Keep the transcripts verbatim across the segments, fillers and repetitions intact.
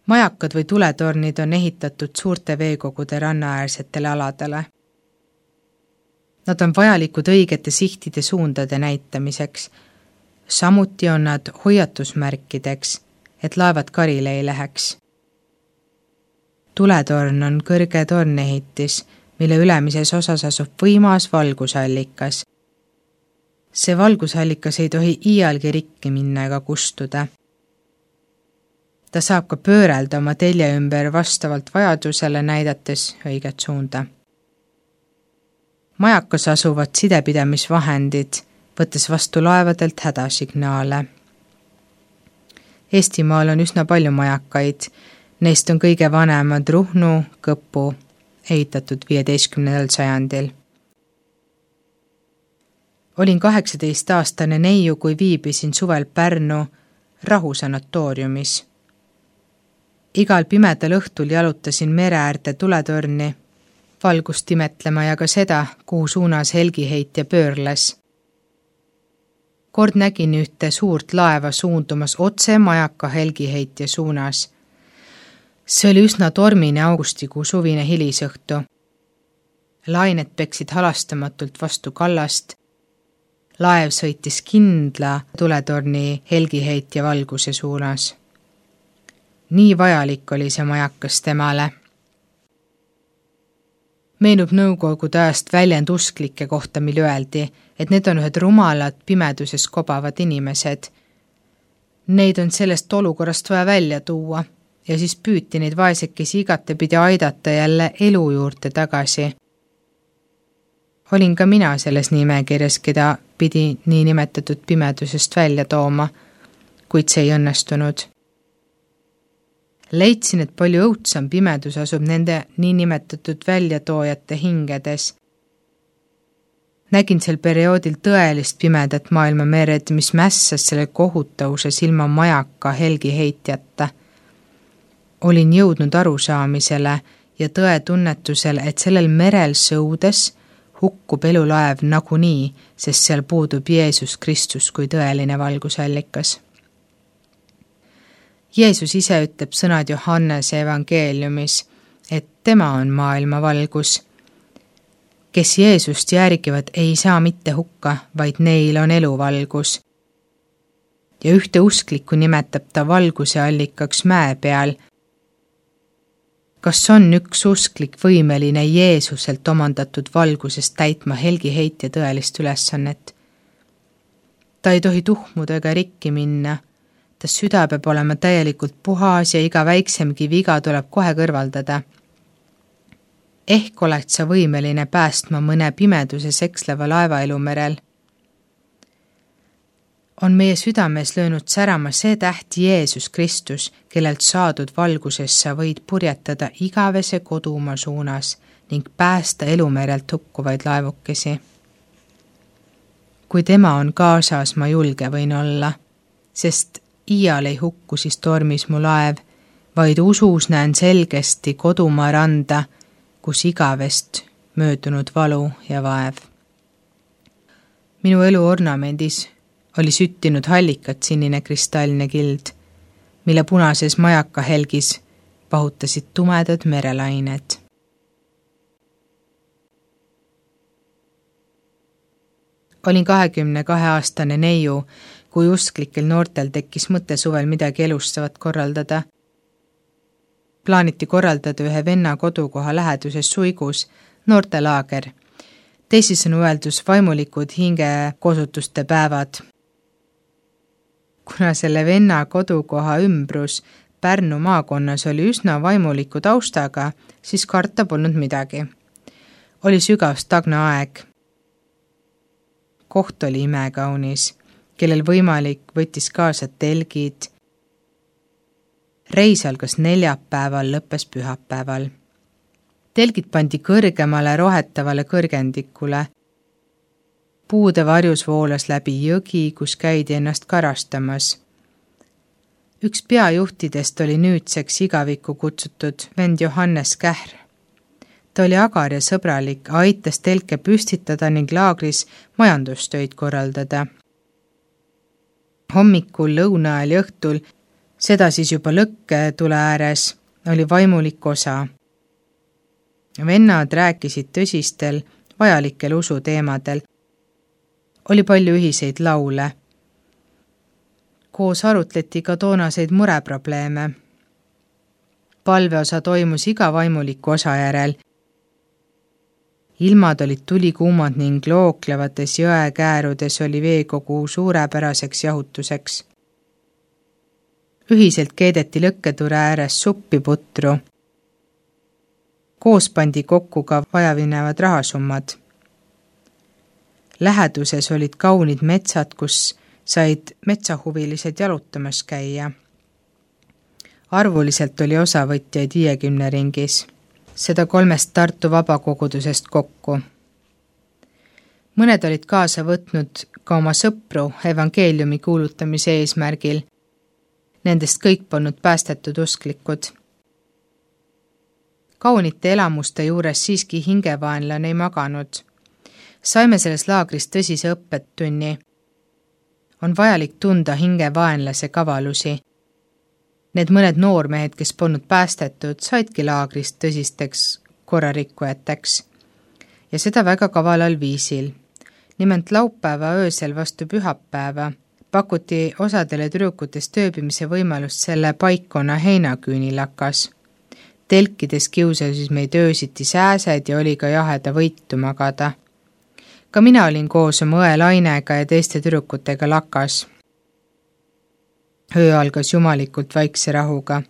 Majakad või tuletornid on ehitatud suurte veekogude rannaäärsetele aladele. Nad on vajalikud õigete sihtide suundade näitamiseks. Samuti on nad hoiatusmärkideks, et laevad karile ei läheks. Tuletorn on kõrge tornehitis, mille ülemises osas asub võimas valgusallikas. See valgusallikas ei tohi iialgi rikki minna ega kustuda. Ta saab ka pöörelda oma telje ümber vastavalt vajadusele näidates õiget suunda. Majakas asuvad sidepidamisvahendid, võttes vastu laevadelt hädasignaale. Eestimaal on üsna palju majakaid, neist on kõige vanemad Ruhnu, Kõpu, ehitatud viieteistkümnendal sajandil. Olin kaheksateist-aastane neiu, kui viibisin suvel Pärnu rahusanatooriumis. Igal pimedal õhtul jalutasin mere äärde tuletorni, valgust imetlema ja ka seda, kuhu suunas helgiheitja pöörles. Kord nägin ühte suurt laeva suundumas otse majaka helgiheitja suunas. See oli üsna tormine augustikuu suvine hilisõhtu. Lained peksid halastamatult vastu kallast. Laev sõitis kindla tuletorni helgiheitja valguse suunas. Nii vajalik oli see majakas temale. Meenub nõukogude ajast väljend usklike kohta, mil öeldi, et need on ühed rumalad pimeduses kobavad inimesed. Neid on sellest olukorrast vaja välja tuua ja siis püüti neid vaesekesi igatepidi aidata jälle elu juurde tagasi. Olin ka mina selles nimekirjas, keda pidi nii nimetatud pimedusest välja tooma, kuid see ei õnnestunud. Leidsin, et palju õudsam pimedus asub nende niinimetatud väljatoojate hingedes. Nägin sel perioodil tõelist pimedat maailma mered, mis mässas selle kohutavuses ilma majaka helgiheitjata. Olin jõudnud arusaamisele ja tõe tunnetusel, et sellel merel sõudes hukkub elulaev nagunii, sest seal puudub Jeesus Kristus kui tõeline valgusallikas. Jeesus ise ütleb sõnad Johannese evangeeliumis, et tema on maailma valgus. Kes Jeesust järgivad, ei saa mitte hukka, vaid neil on eluvalgus. Ja ühte usklikku nimetab ta valguse allikaks mäe peal. Kas on üks usklik võimeline Jeesuselt omandatud valgusest täitma helgiheitja tõelist ülesannet? Ta ei tohi tuhmuda ega rikki minna. Ta süda peab olema täielikult puhas ja iga väiksemgi viga tuleb kohe kõrvaldada. Ehk oled sa võimeline päästma mõne pimeduses eksleva laevaelu merel. On meie südames löönud särama see täht Jeesus Kristus, kellelt saadud valguses sa võid purjetada igavese kodumaa suunas ning päästa elumerelt hukkuvaid laevukesi. Kui tema on kaasas, ma julge võin olla, sest iial ei hukku siis tormis mu laev, vaid usus näen selgesti kodumaa randa, kus igavest möödunud valu ja vaev. Minu elu ornamendis oli süttinud hallikat sinine kristalline kild, mille punases majaka helgis pahutasid tumedad merelained. Olin kahekümne kahe aastane neiu, kui usklikel noortel tekkis mõte suvel midagi elustavat korraldada. Plaaniti korraldada ühe venna kodukoha läheduses Suigus noortelaager, teisisõnu öeldus vaimulikud hingekosutuste päevad. Kuna selle venna kodukoha ümbrus Pärnu maakonnas oli üsna vaimuliku taustaga, siis karta polnud midagi. Oli sügav stagna aeg. Koht oli imekaunis, kellel võimalik võttis kaasa telgid. Reis algas neljapäeval, lõppes pühapäeval. Telgid pandi kõrgemale rohetavale kõrgendikule. Puude varjus voolas läbi jõgi, kus käidi ennast karastamas. Üks peajuhtidest oli nüüdseks igavikku kutsutud vend Johannes Kähr. Ta oli agar ja sõbralik, aitas telke püstitada ning laagris majandustöid korraldada. Hommikul, lõuna ajal ja õhtul Seda siis juba lõkke tule ääres oli vaimulik osa. Vennad rääkisid tõsistel, vajalikel usuteemadel. Oli palju ühiseid laule. Koos arutleti ka toonaseid mureprobleeme. Palveosa toimus iga vaimuliku osa järel. Ilmad olid tulikuumad ning looklevates jõekäärudes oli veekogu suurepäraseks jahutuseks. Ühiselt keedeti lõkketule ääres suppi putru. Koos pandi kokku ka vajavinevad rahasummad. Läheduses olid kaunid metsad, kus said metsahuvilised jalutamas käia. Arvuliselt oli osavõtjaid viiekümne ringis, seda kolmest Tartu vabakogudusest kokku. Mõned olid kaasa võtnud ka oma sõpru evangeeliumi kuulutamise eesmärgil. Nendest kõik polnud päästetud usklikud. Kaunite elamuste juures siiski hingevaenlane ei maganud. Saime selles laagris tõsise õppetunni. On vajalik tunda hingevaenlase kavalusi. Need mõned noormehed, kes polnud päästetud, saidki laagrist tõsisteks korrarikkujateks. Ja seda väga kavalal viisil. Nimelt laupäeva öösel vastu pühapäeva pakuti osadele tüdrukutest ööbimise võimalust selle paikkonna heinaküünilakas. Telkides kiusasid meid öösiti sääsed ja oli ka jaheda võitu magada. Ka mina olin koos oma õe Lainega ja teiste tüdrukutega lakas. Öö algas jumalikult vaikse rahuga.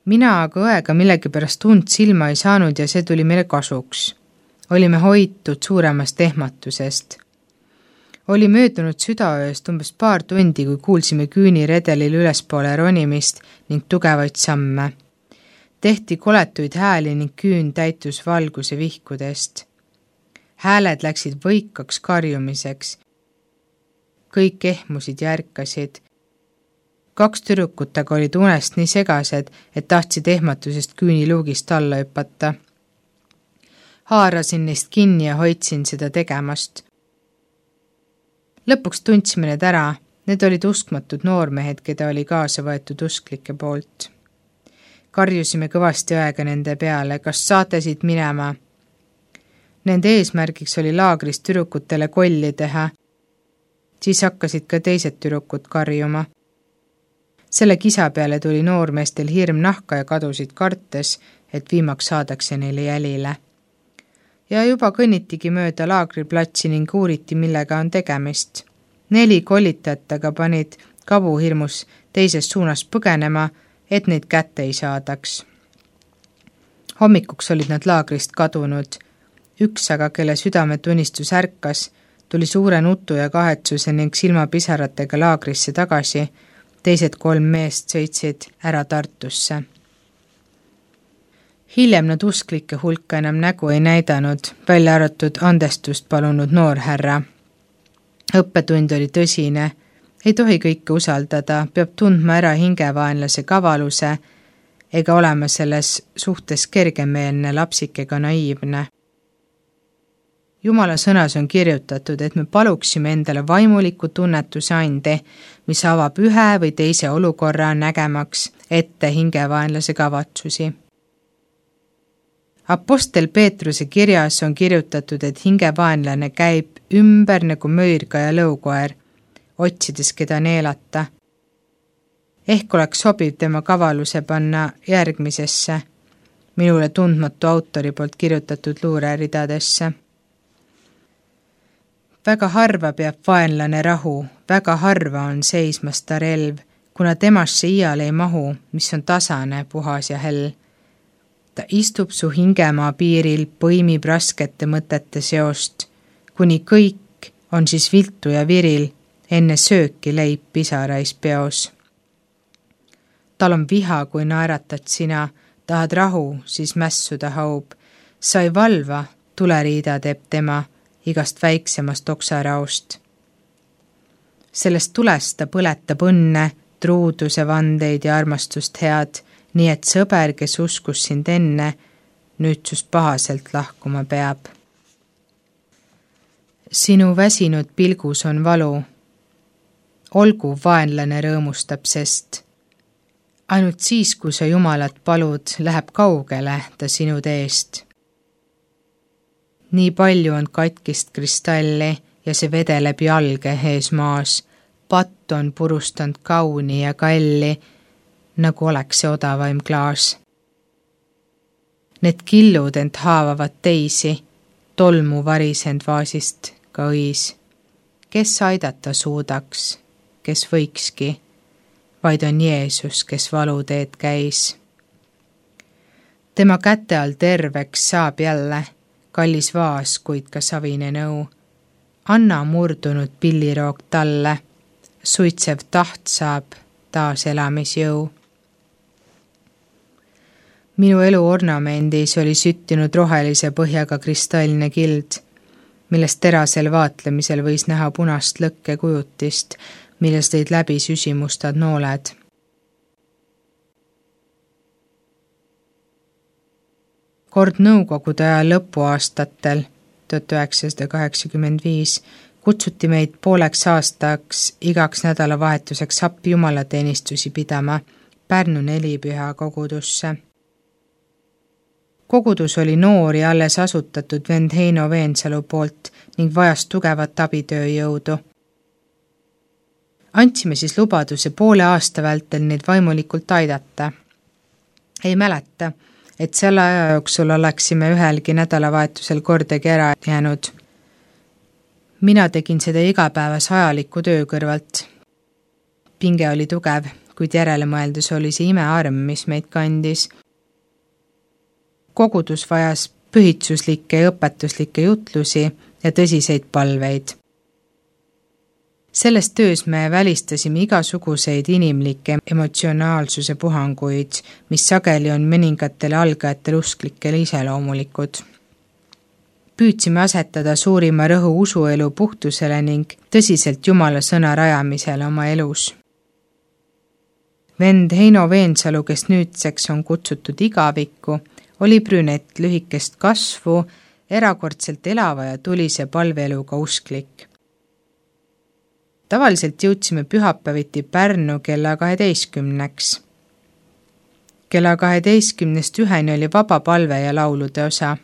Mina aga õega millegipärast tund silma ei saanud ja see tuli meile kasuks. Olime hoitud suuremast ehmatusest. Oli möödunud südaööst umbes paar tundi, kui kuulsime küüniredelil ülespoole ronimist ning tugevaid samme. Tehti koletuid hääli ning küün täitus valguse vihkudest. Hääled läksid võikaks karjumiseks. Kõik ehmusid ja ärkasid. Kaks tüdrukut aga olid unest nii segased, et tahtsid ehmatusest küüniluugist alla hüpata. Haarasin neist kinni ja hoidsin seda tegemast. Lõpuks tundsime need ära, need olid uskmatud noormehed, keda oli kaasa võetud usklike poolt. Karjusime kõvasti aega nende peale, kas saate siit minema? Nende eesmärgiks oli laagrist tüdrukutele kolli teha. Siis hakkasid ka teised tüdrukud karjuma. Selle kisa peale tuli noormeestel hirm nahka ja kadusid kartes, et viimaks saadakse neile jälile. Ja juba kõnnitigi mööda laagriplatsi ning uuriti, millega on tegemist. Neli kollitajat aga panid kabuhirmus teises suunas põgenema, et neid kätte ei saadaks. Hommikuks olid nad laagrist kadunud. Üks aga, kelle südametunnistus ärkas, tuli suure nutu ja kahetsuse ning silmapisaratega laagrisse tagasi. Teised kolm meest sõitsid ära Tartusse. Hiljem nad usklike hulka enam nägu ei näidanud, välja arvatud andestust palunud noorhärra. Õppetund oli tõsine, ei tohi kõike usaldada, peab tundma ära hingevaenlase kavaluse ega olema selles suhtes kergemeelne lapsikega naiivne. Jumala sõnas on kirjutatud, et me paluksime endale vaimuliku tunnetuse ande, mis avab ühe või teise olukorra nägemaks ette hingevaenlase kavatsusi. Apostel Peetruse kirjas on kirjutatud, et hingevaenlane käib ümber nagu möirga ja lõukoer, otsides keda neelata. Ehk oleks sobiv tema kavaluse panna järgmisesse, minule tundmatu autori poolt kirjutatud luureridadesse. Väga harva peab vaenlane rahu, väga harva on seismas ta relv, kuna temasse iial ei mahu, mis on tasane, puhas ja hell. Ta istub su hingemaa piiril, põimib raskete mõtete seost, kuni kõik on siis viltu ja viril, enne sööki leib pisarais peos. Tal on viha, kui naeratad sina, tahad rahu, siis mässuda haub. Sa ei valva, tuleriida teeb tema, igast väiksemast oksaraost. Sellest tulest ta põletab õnne, truuduse vandeid ja armastust head, nii et sõber, kes uskus sind enne, nüüd sust pahaselt lahkuma peab. Sinu väsinud pilgus on valu. Olgu vaenlane rõõmustab, sest Ainult siis, kui sa Jumalat palud, läheb kaugele ta sinu teest. Nii palju on katkist kristalli ja see vedeleb jalge ees maas. Patt on purustanud kauni ja kalli, nagu oleks see odavaim klaas. Need killud ent haavavad teisi, tolmu varisend vaasist ka õis. Kes aidata suudaks, kes võikski, vaid on Jeesus, kes valuteed käis. Tema käte all terveks saab jälle, kallis vaas, kuid ka savine nõu. Anna murdunud pilliroog talle, suitsev taht saab taas elamisjõu. Minu elu ornamendis oli süttinud rohelise põhjaga kristalline kild, millest terasel vaatlemisel võis näha punast lõkke kujutist, millest tõid läbi süsimustad nooled. Kord nõukogude aja lõpuaastatel tuhat üheksasada kaheksakümmend viis kutsuti meid pooleks aastaks igaks nädalavahetuseks appi jumalateenistusi pidama Pärnu nelipüha kogudusse. Kogudus oli noor ja alles asutatud vend Heino Veensalu poolt ning vajas tugevat abitööjõudu. Andsime siis lubaduse poole aasta vältel neid vaimulikult aidata. Ei mäleta, et selle aja jooksul oleksime ühelgi nädalavahetusel kordagi ära jäänud. Mina tegin seda igapäevas ajaliku töö kõrvalt. Pinge oli tugev, kuid järelemõeldus oli see imearm, mis meid kandis. Kogudus vajas pühitsuslikke ja õpetuslikke jutlusi ja tõsiseid palveid. Selles töös me välistasime igasuguseid inimlikke emotsionaalsuse puhanguid, mis sageli on mõningatele algajatele usklikele iseloomulikud. Püüdsime asetada suurima rõhu usuelu puhtusele ning tõsiselt Jumala sõna rajamisele oma elus. Vend Heino Veensalu, kes nüüdseks on kutsutud igavikku, oli brünett lühikest kasvu, erakordselt elava ja tulise palveeluga usklik. Tavaliselt jõudsime pühapäeviti Pärnu kella kaheteistkümneks. Kella kaheteistkümnest üheni oli vaba palve ja laulude osa.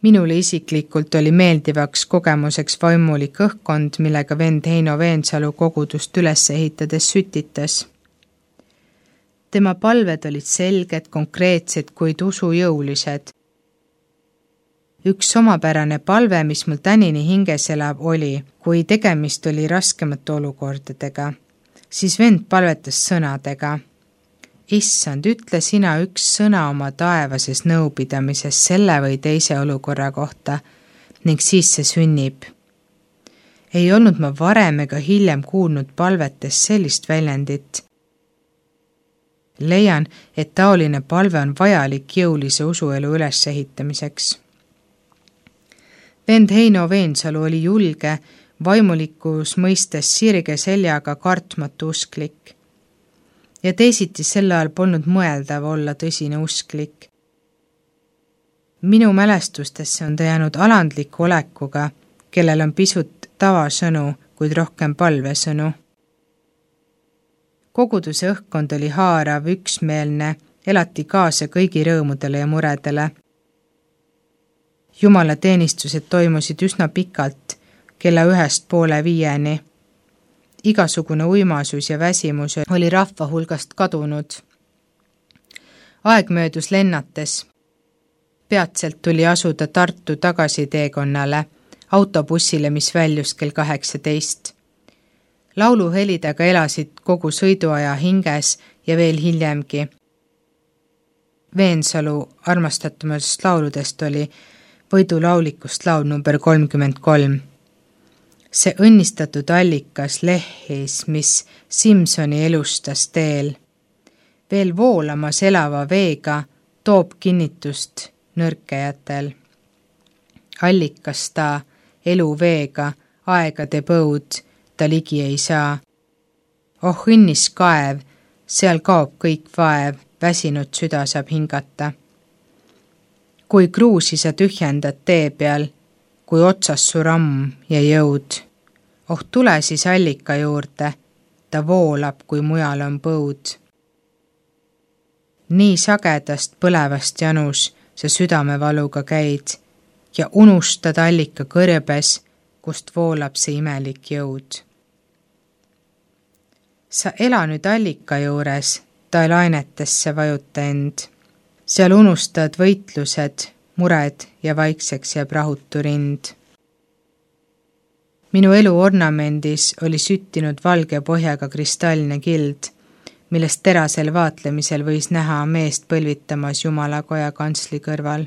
Minule isiklikult oli meeldivaks kogemuseks vaimulik õhkkond, millega vend Heino Veensalu kogudust üles ehitades sütitas. Tema palved olid selged, konkreetsed, kuid usujõulised. Üks omapärane palve, mis mul tänini hinges elab, oli, kui tegemist oli raskemate olukordadega, siis vend palvetas sõnadega. Issand, ütle sina üks sõna oma taevases nõupidamises selle või teise olukorra kohta ning siis see sünnib. Ei olnud ma varem ega hiljem kuulnud palvetes sellist väljendit. Leian, et taoline palve on vajalik jõulise usuelu ülesehitamiseks. Vend Heino Veensalu oli julge, vaimulikus mõistes sirge seljaga kartmatu usklik. Ja teisiti selle ajal polnud mõeldav olla tõsine usklik. Minu mälestustesse on ta jäänud alandliku olekuga, kellel on pisut tavasõnu, kuid rohkem palvesõnu. Koguduse õhkkond oli haarav, üksmeelne, elati kaasa kõigi rõõmudele ja muredele. Jumala teenistused toimusid üsna pikalt, kella ühest poole viieni. Igasugune uimasus ja väsimus oli rahva hulgast kadunud. Aeg möödus lennates. Peatselt tuli asuda Tartu tagasiteekonnale, autobussile, mis väljus kell kaheksateist. Lauluhelidega elasid kogu sõiduaja hinges ja veel hiljemgi. Veensalu armastatumatest lauludest oli võidulaulikust laul number kolmkümmend kolm. See õnnistatud allikas lehis, mis Simsoni elustas teel. Veel voolamas elava veega toob kinnitust nõrkejatel. Allikas ta elu veega, aegade põud, ta ligi ei saa. Oh õnnis kaev, seal kaob kõik vaev, väsinud süda saab hingata. Kui kruusi sa tühjendad tee peal, kui otsas su ramm ja jõud. Oh tule siis allika juurde, ta voolab, kui mujal on põud. nii sagedast põlevast janus sa südamevaluga käid ja unustad allika kõrbes, kust voolab see imelik jõud. Sa ela nüüd allika juures, ta lainetesse vajuta end. Seal unustad võitlused, mured ja vaikseks jääb rahutu rind. Minu elu ornamendis oli süttinud valge põhjaga kristallne kild, millest terasel vaatlemisel võis näha meest põlvitamas Jumalakoja kantsli kõrval.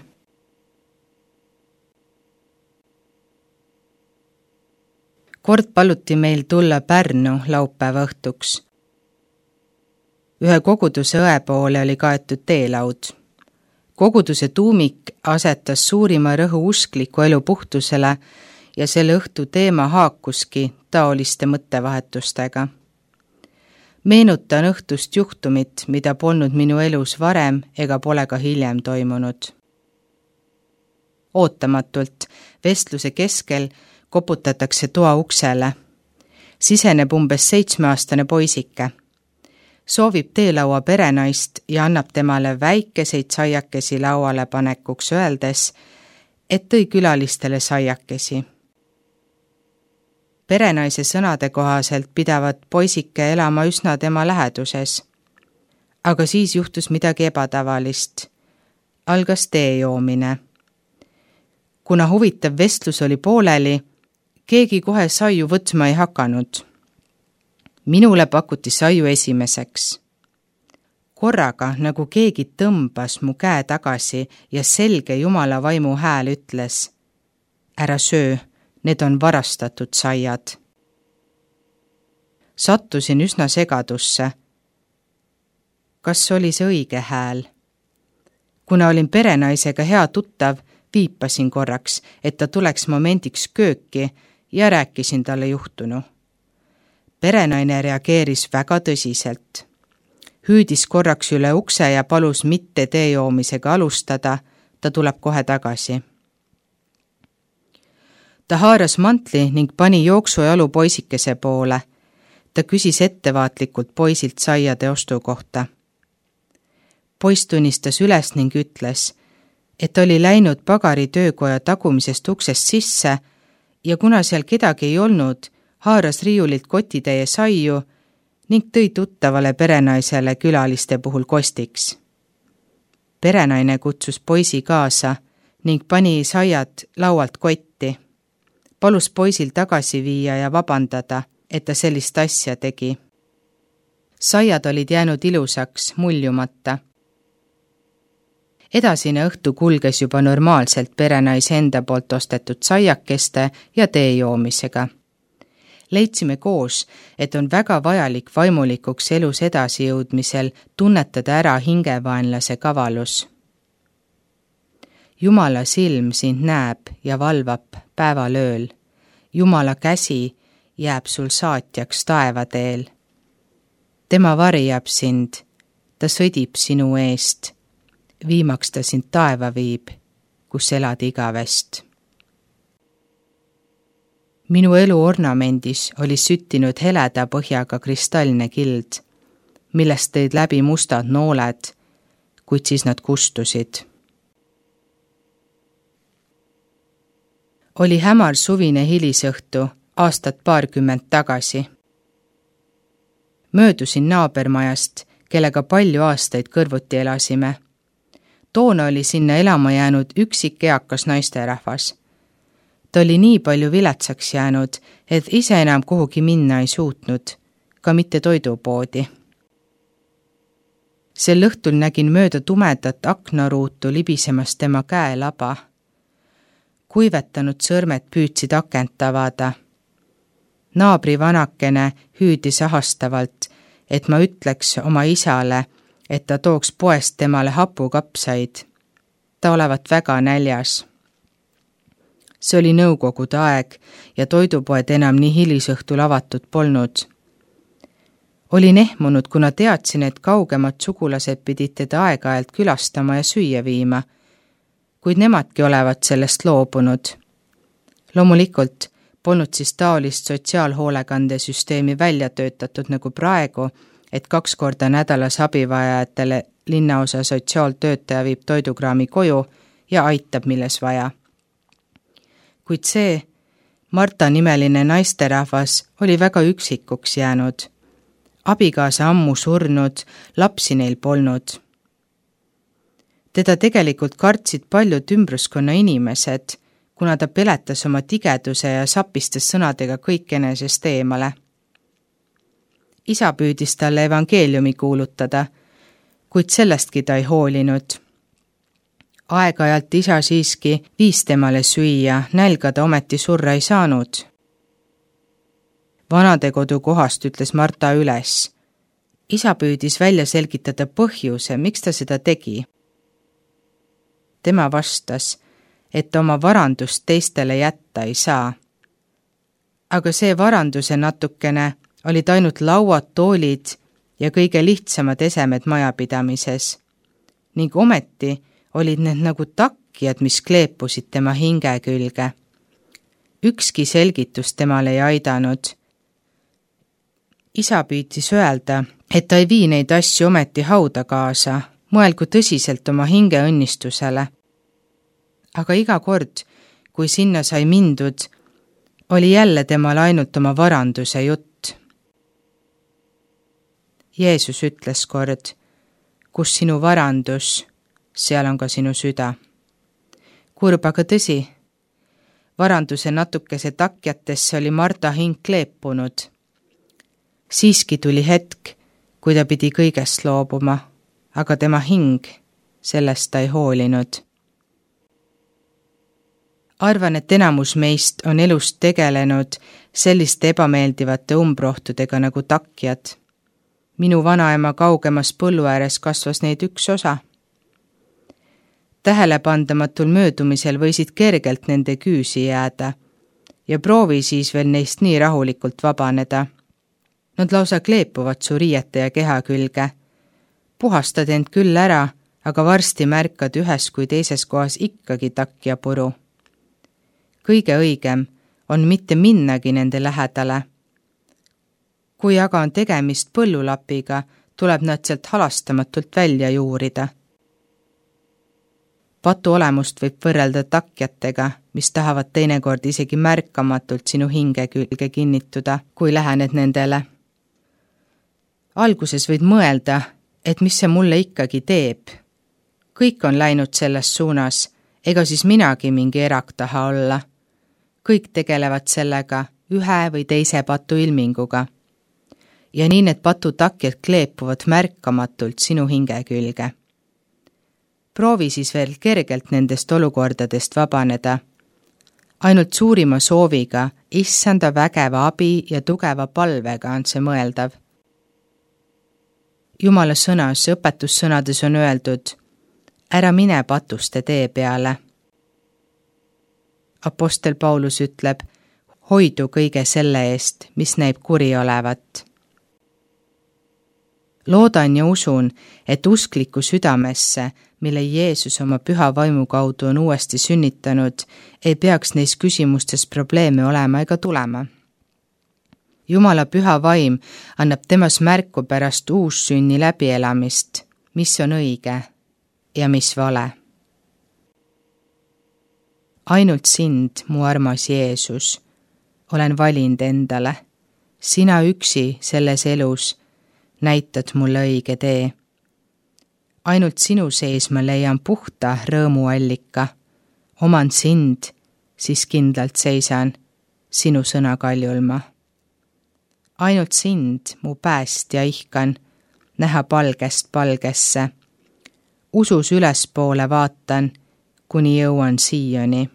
Kord paluti meil tulla Pärnu laupäeva õhtuks. Ühe koguduse õe poole oli kaetud teelaud. Koguduse tuumik asetas suurima rõhu uskliku elu puhtusele ja selle õhtu teema haakuski taoliste mõttevahetustega. Meenutan õhtust juhtumit, mida polnud minu elus varem ega pole ka hiljem toimunud. Ootamatult vestluse keskel koputatakse toa uksele. Siseneb umbes seitsmeaastane poisike. Soovib teelaua perenaist ja annab temale väikeseid saiakesi lauale panekuks öeldes, et tõi külalistele saiakesi. Perenaise sõnade kohaselt pidavat poisike elama üsna tema läheduses. Aga siis juhtus midagi ebatavalist. Algas tee joomine. Kuna huvitav vestlus oli pooleli, keegi kohe saiu võtma ei hakanud. Minule pakuti saiu esimeseks. Korraga, nagu keegi tõmbas mu käe tagasi ja selge Jumala vaimu hääl ütles, ära söö, need on varastatud saiad. Sattusin üsna segadusse. Kas oli see õige hääl? Kuna olin perenaisega hea tuttav, viipasin korraks, et ta tuleks momendiks kööki ja rääkisin talle juhtunu. Perenaine reageeris väga tõsiselt. Hüüdis korraks üle ukse ja palus mitte tee joomisega alustada, ta tuleb kohe tagasi. Ta haaras mantli ning pani jooksujalu poisikese poole. Ta küsis ettevaatlikult poisilt saiade ostu kohta. Poiss tunnistas üles ning ütles, et oli läinud pagari töökoja tagumisest uksest sisse ja kuna seal kedagi ei olnud, haaras riiulilt kotitäie saiu ning tõi tuttavale perenaisele külaliste puhul kostiks. Perenaine kutsus poisi kaasa ning pani saiad laualt kotti. Palus poisil tagasi viia ja vabandada, et ta sellist asja tegi. Saiad olid jäänud ilusaks, muljumata. Edasine õhtu kulges juba normaalselt perenaise enda poolt ostetud saiakeste ja tee joomisega. Leidsime koos, et on väga vajalik vaimulikuks elus edasijõudmisel tunnetada ära hingevaenlase kavalus. Jumala silm sind näeb ja valvab päevalööl. Jumala käsi jääb sul saatjaks taevateel. Tema varjab sind, ta sõdib sinu eest. Viimaks ta sind taeva viib, kus elad igavest. Minu elu ornamendis oli süttinud heleda põhjaga kristallne kild, millest tõid läbi mustad nooled, kuid siis nad kustusid. Oli hämar suvine hilisõhtu aastat paarkümmend tagasi. Möödusin naabermajast, kellega palju aastaid kõrvuti elasime. Toona oli sinna elama jäänud üksik eakas naisterahvas. Ta oli nii palju viletsaks jäänud, et ise enam kuhugi minna ei suutnud, ka mitte toidupoodi. Sel õhtul nägin mööda tumedat aknaruutu libisemas tema käelaba. Kuivetanud sõrmed püüdsid akent avada. Naabri vanakene hüüdis ahastavalt, et ma ütleks oma isale, et ta tooks poest temale hapukapsaid. Ta olevat väga näljas. See oli nõukogude aeg ja toidupoed enam nii hilisõhtul avatud polnud. Olin ehmunud, kuna teadsin, et kaugemad sugulased pidid teda aeg-ajalt külastama ja süüa viima, kuid nemadki olevat sellest loobunud. Loomulikult polnud siis taolist sotsiaalhoolekandesüsteemi välja töötatud nagu praegu, et kaks korda nädalas abivajajatele linnaosa sotsiaaltöötaja viib toidukraami koju ja aitab, milles vaja. Kuid see Marta nimeline naisterahvas oli väga üksikuks jäänud. Abikaasa ammu surnud, lapsi neil polnud. Teda tegelikult kartsid paljud ümbruskonna inimesed, kuna ta peletas oma tigeduse ja sapistas sõnadega kõik enesest eemale. Isa püüdis talle evangeeliumi kuulutada, kuid sellestki ta ei hoolinud. Aeg-ajalt isa siiski viis temale süüa, nälga ta ometi surra ei saanud. Vanadekodu kohast ütles Marta üles. Isa püüdis välja selgitada põhjuse, miks ta seda tegi. Tema vastas, et oma varandust teistele jätta ei saa. Aga see varanduse natukene olid ainult lauad, toolid ja kõige lihtsamad esemed majapidamises. Ning ometi olid need nagu takkijad, mis kleepusid tema hinge külge. Ükski selgitus temale ei aidanud. Isa püüdis öelda, et ta ei vii neid asju ometi hauda kaasa, mõelgu tõsiselt oma hinge õnnistusele. Aga iga kord, kui sinna sai mindud, oli jälle temal ainult oma varanduse jutt. Jeesus ütles kord, kus sinu varandus, seal on ka sinu süda. Kurb aga tõsi, varanduse natukese takjatesse oli Marta hing kleepunud. Siiski tuli hetk, kui ta pidi kõigest loobuma, aga tema hing, sellest ta ei hoolinud. Arvan, et enamus meist on elust tegelenud selliste ebameeldivate umbrohtudega nagu takjad. Minu vanaema kaugemas põllu ääres kasvas neid üks osa. Tähelepandamatul möödumisel võisid kergelt nende küüsi jääda ja proovi siis veel neist nii rahulikult vabaneda. Nad lausa kleepuvad su riiete ja keha külge. Puhastad end küll ära, aga varsti märkad ühes kui teises kohas ikkagi takja puru. Kõige õigem on mitte minnagi nende lähedale. Kui aga on tegemist põllulapiga, tuleb nad sealt halastamatult välja juurida. Patu olemust võib võrrelda takjatega, mis tahavad teinekord isegi märkamatult sinu hinge külge kinnituda, kui lähened nendele. Alguses võid mõelda, et mis see mulle ikkagi teeb. Kõik on läinud selles suunas, ega siis minagi mingi erak taha olla. Kõik tegelevad sellega ühe või teise patu ilminguga. Ja nii need patutakjad kleepuvad märkamatult sinu hinge külge. Proovi siis veel kergelt nendest olukordadest vabaneda. Ainult suurima sooviga, issanda vägeva abi ja tugeva palvega on see mõeldav. Jumala sõnas, õpetussõnades on öeldud, ära mine patuste tee peale. Apostel Paulus ütleb, hoidu kõige selle eest, mis näib kuri olevat. Loodan ja usun, et uskliku südamesse, mille Jeesus oma püha vaimu kaudu on uuesti sünnitanud, ei peaks neis küsimustes probleeme olema ega tulema. Jumala püha vaim annab temas märku pärast uussünni läbielamist, mis on õige ja mis vale. Ainult sind, mu armas Jeesus, olen valinud endale. Sina üksi selles elus näitad mulle õige tee. Ainult sinu sees ma leian puhta rõõmuallika. Oman sind, siis kindlalt seisan sinu sõna kaljulma. Ainult sind, mu päästja ihkan, näha palgest palgesse. Usus ülespoole vaatan, kuni jõuan siiani.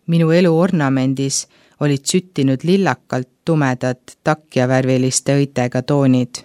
Minu elu ornamendis olid süttinud lillakalt tumedad takjavärviliste õitega toonid.